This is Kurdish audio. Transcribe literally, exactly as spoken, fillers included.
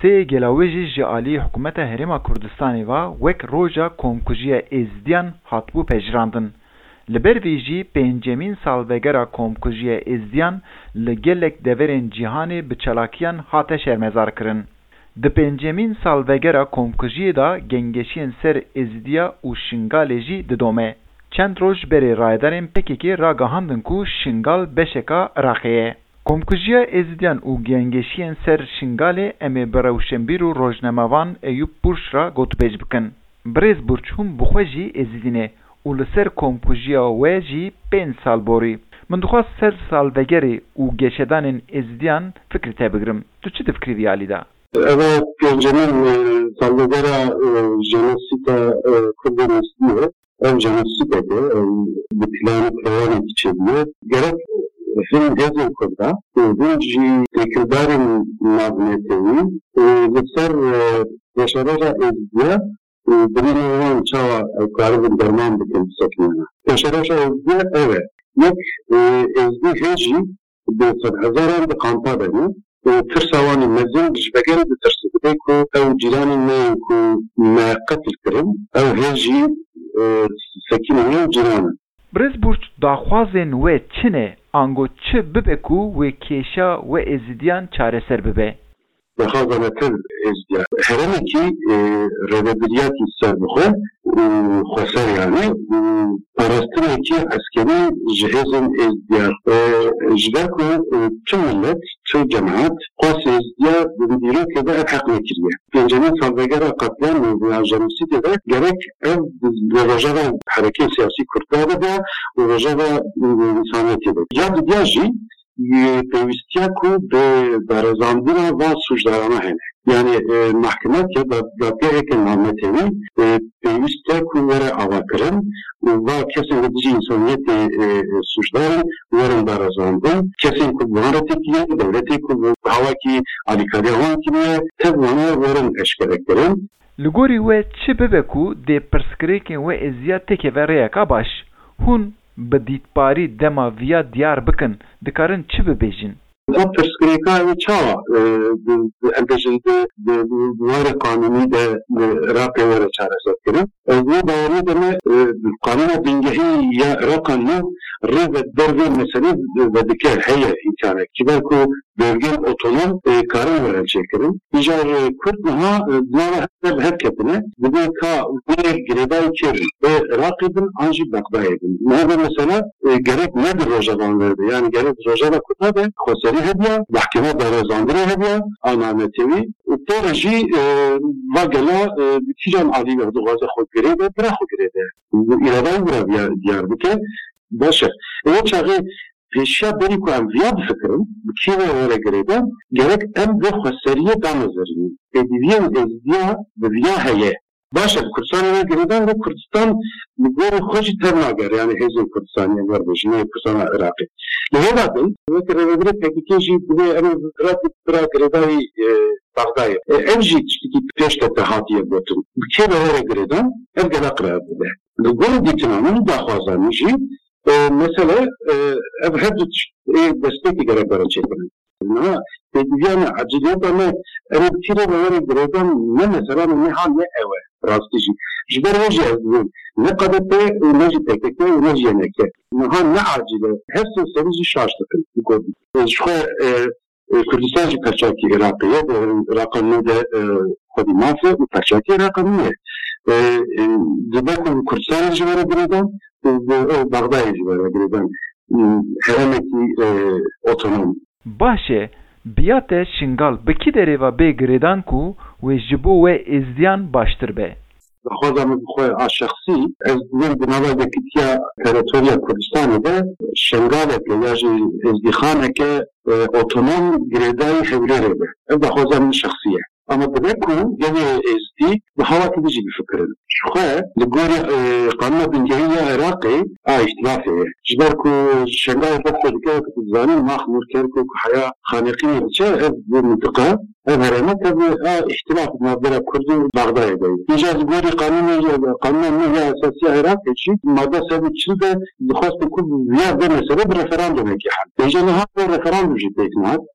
Sê gela wê jî ji alî Hikûmeta Herêma Kurdistanê ve wek Roja Komkujiya Êzidiyan hatibû pejirandin. Li ber vê jî pêncemîn salvegera komkujiya Êzidiyan li gelek deverên cîhanê bi çalakiyan hate şermezarkirin. Di pêncemîn salvegera komkujiyê de gengeşiyên ser Êzidiya û Şingalê jî didome. Çend roj berê rayedarên P K K ragihandin ku Şingal beşeka Iraqê ye. Komkujiya Êzidiyan û gengeşiyên ser Şingalê em ê bi rewşenbîr û rojnamevan Eyûp Burç re gotûbêj bikin. Birêz Burç, hûn bi xwe jî Êzidî ne û li ser komkujiya we jî pênc sal borî. Min dixwest ser salvegerê û geşedanên Êzidiyan fikrê te bigirim. Tu çi difikirî vî alî de? Eva pêncemîn, e, salvegera, e, jenosîda, e, Kurdên Êzidî ye. Ev jenosîdek e, ew bi plan û programekî çêbûye. Gerek hin hêzên Kurda û hin jî têkildarên navnetewî û li ser, e, pêşeroja Êzdiya û birîna wan çawa ew karibin derman bikin bisekinîne. Pêşeroja Êzdiya ev e. Yek, e, Êzdî hê jî bi sedhezaran di kampa de ne û tirsa wan ê mezin ji vegerê ditirse, dibê ku ew cîranên me yên ku me qetil kirin, ew hê jî, e, sekinîne û cîran in. Birêz Burç, daxwazên we çi ne? Ango çi bibe ku wê kêşa we Êzidiyan çareser bibe? Daxwaza me tev Êzdiya. Herêmekî, e, rêveberiyatî serbixwe û xweser, yanî, û parastinekî eskerî ji hêzên Êzdiya. E, ji ber ku, e, tu milet, tu cemaat, xwest Êzdiya di dîrokê de ev heq nekiriye. Pêncemîn salvegera qetliamê ya jenosîdê de gerek ev li rojeva herekê siyasî Kurda de be û rojeva, e, însaniyetê de. Ya didiya jî, e, pêwîstiya ku bi berezandina van sûcdarana hene. Yani, e, mahkemeke, da-, dadgeheke navnetewî, e, pêwîst e ku were avakirin û va kesên li dijî însaniyetê, e, e, sûcdar in, werin berezandin. Kesên ku bi wan re têkiliye, dewletê ku bi hawakî alîkariya wan kiriye, tev wana werin eşkerekirin. Li gorî we çi bibe ku dê pirsgirêkên we Êzdiya têkeve rêyeka baş? Hûn bi dîtbarî dema viya diyar bikin, dikarin çi bibêjin? Ev pirsgirêka ew çawa, e, bi, bi, em bêjin, bi, bi, bi warê qanûnî de li Iraqê were çareserkirin? Ez wê baweriyê de me, e, qanûna bingehî ya Iraqa nû rê ve der vê meselê vedike, heye îmkanek. Ji ber ku bölgên otonom, e, karin werin çêkirin. Îcar, e, Kurd niha, e, di nava hev, hev ketine. Dibê ka wê girêdayî kê bin? Wê Iraqê bin an jî Bexdayê bin? Niha vê mesela, e, gerek ne di rojeva me de, yani gerek di rojeva Kurda de xweserî hebiya, mahkeme berezandinê hebiya, a navnetewî û pê re jî, e, va gela, e, bi kîjan alî ve dixwaze xwe girê de, bira xwe girê de. Îradeyê wira diyar, diyar bike. Baş e. Ew çaxê pêşiya berî ku em viya bifikirin, bi kê ve were girêdan, gerek em vê xweseriyê damezirînin. Pêdiviyên Êzdiya bi viya heye. Baş e, bi Kurdistanê were girêdan, lê Kurdistan li gorî xwe jî tev nagere, yani hêzên Kurdistanê em werbêjin, neyê Kurdistana Iraqê. Li hêla din, weke rêvebirê P K K jî divê em vira, vira girêdayî, e, Bexdayê. E, ev jî tiştekî pêş de te hatiye gotin. Bi kê ve were girêdan, ev gela qiraret bide. Li gor dîtina min, daxwaza min jî, e, mesele, e, ev her du tişt, e, destpêkê gerek were çêkirin. Niha pêdiviya me, eciliyeta me, em ê bi kî re ve were girêdan, ne mesela me, ne ha ne ew e, rastî jî. Ji ber wê jî ez dibêm, ne K D P û ne jî P K K û ne jî Y N K. Niha ne acîl e. Her sê serî jî şaş dikin, bi kurdî. E, ji xwe, e, e, Kurdistan jî perçakî Iraqê ye, e, Iraqa nû de, e, xwedî maf e û perçakî Iraqa nû ye. E, e, dibe ku Kurdistanê jî were girêdan û, û, û Bexdayê jî were girêdan. E, herêmekî, e, otonom. Baş e, bi ya te Şingal bi kî derê ve bê girêdan ku wê ji bo we Êzdiyan baştir be? Daxwaza min bi xwe a şexsî, ez dibêm di nava yekîtiya teritoriya Kurdistanê de Şengaleke ya jî Êzdîxaneke, e, otonom girêdayî Hewlêrê be. Ev daxwaza min şexsî ye. Ama dibe ku gelê Êzdî bi hawakî din jî bifikirin. Ji xwe li gorî, e, qanûna bingehî ya Iraqê a îhtilafê ye. Ji ber ku Şengalê dest pê dike, weke tu dizanî, Max Nûr, Kerkûk, Heya, Xaneqînê diçe, ev, bu mintiqa, ev herêma tevî a îhtilaf navbera Kurd û Bexdayê de ye. Îcar li gorî qanûnê, qanûna nû ya esasî ya Iraqê jî, madde sed û çil de dixwestin ku viya vê meselê bi referandumekê hel. Îcar niha vê referandum jî pêk nehate.